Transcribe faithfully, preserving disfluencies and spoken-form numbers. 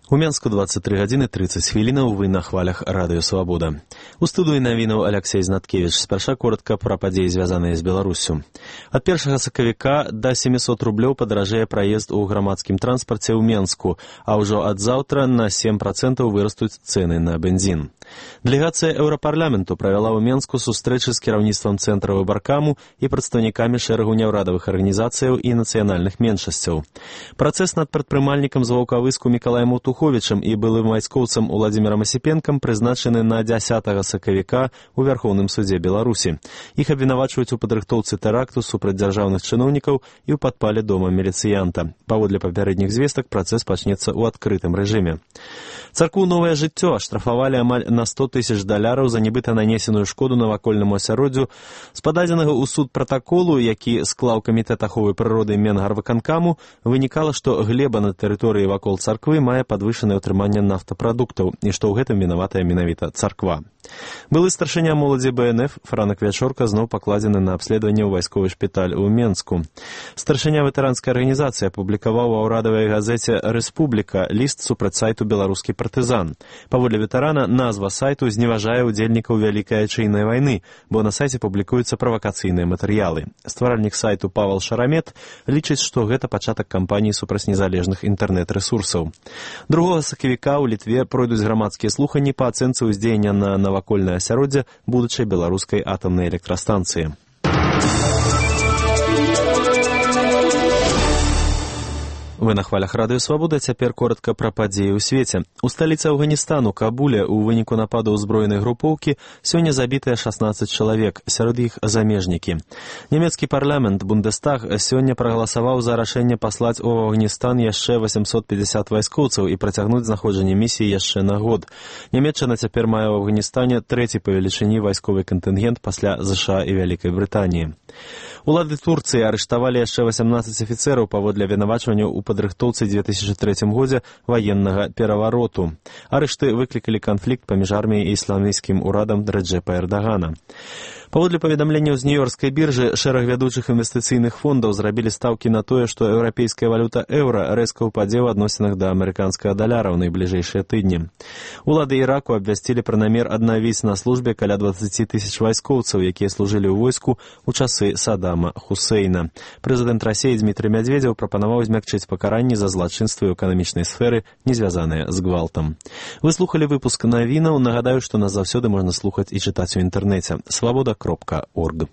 У Менску двадцать три гадзіны тридцать хвілінаў, вы на хвалях радыё «Свабода». У студыі навінаў Алексей Знаткевич. Спярша коротка пра падзеі, звязаныя з Беларуссю. Ад першага сакавіка да семісот рублёў падаражэе праезд у грамадскім транспарце ў Менску, а ўжо ад заўтра на сем працэнтаў вырастуць цэны на бензін. Дэлегацыя Еўрапарламенту правяла ў Менску сустрэчы з кіраўніцтвам цэнтра выбаркаму і прадстаўнікамі шэрагу няўрадавых арганізацыяў і нацыянальных меншасцяў. Працэс над прадпрымальнікам з Ваўкавыску Мікалаем Утуховічам і былым вайскоўцам Уладзімірам Асіпенкам прызначаны на дзясятага сакавіка ў Вярхоўным судзе Беларусі. Іх абвінавачваюць у падрыхтоўцы тэракту супраць дзяржаўных чыноўнікаў і ў падпале дома міліцыянта. Паводле папярэдніх звестак працэс пачнецца ў адкрытым рэжыме. Царкву «Новае жыццё» аштрафавалі амаль на сто тысяч даляраў за нібыта нанесеную шкоду навакольнаму асяроддзю. З пададзенага ў суд пратаколу, які склаў камітэт аховы прыроды Менгарвыканкаму, вынікала, што глеба на тэрыторыі вакол царквы мае падвышанае ўтрыманне нафтапрадуктаў і што ў гэтым вінаватая менавіта царква. Былы старшыня моладзі бэ эн эф Франак Вячорка зноў пакладзены на абследаванне ў вайсковы шпіталь у Менску. Старшыня ветэранскай арганізацыі апублікаваў ва ўрадавай газеце «Рэспубліка» ліст супраць сайту «Беларускі партызан». Паводле ветэрана, назва сайту зневажае ўдзельнікаў Вялікай Айчыннай вайны, бо на сайце публікуюцца правакацыйныя матэрыялы. Стваральнік сайту Павал Шарамет лічыць, што гэта пачатак кампаніі супраць незалежных інтэрнэт-рэсурсаў. Другога сакавіка ў Літве пройдуць грамадскія слуханні па ацэнцы ўздзеяння на навакольнае асяроддзе будучай беларускай атамнай электрастанцыі. Вы на хвалях радыё «Свабода», цяпер коротка пра падзеі ў свеце. У сталіцы Афганістану, Кабуле, у выніку нападу ўзброенай групоўкі сёння забітыя шаснаццаць чалавек, сярод іх замежнікі. Нямецкі парламент Бундестаг сёння прагаласаваў за рашэнне паслаць у Афганістан яшчэ восемьсот пятьдесят вайскоўцаў і працягнуць знаходжанне місіі яшчэ на год. Нямецчына цяпер мае ў Афганістане трэці па велічыні вайсковы кантынгент пасля ЗША і Вялікай Брытаніі. Улады Турцыі арыштавалі яшчэ васямнаццаць афіцэраў паводле абвінавачвання ў падрыхтоўцы дзве тысячы трэцім годзе ваеннага перавароту. Арышты выклікалі канфлікт паміж арміяй і ісламісцкім урадам Рэджэпа Эрдагана. Паводле паведамленняў з нью-ёркскай біржы, шэраг вядучых інвестыцыйных фондаў зрабілі стаўкі на тое, што еўрапейская валюта еўра рэзка ўпадзе ў адносінах да амерыканскага даляра ў найбліжэйшыя тыдні. Улады Іраку абвясцілі пра намер аднавіць на службе каля дваццаць тысяч вайскоўцаў, якія служылі ў войску ў часы Саддама Хусейна. Прэзідэнт Расіі Дмітрый Мядзведзеў прапанаваў змякчыць пакаранні за злачынствы ў эканамічнай сферы, не звязаныя з гвалтам. Вы слухалі выпуск навінаў. Нагадаю, што нас заўсёды можна слухаць і чытаць у інтэрнэце. свабода кропка орг.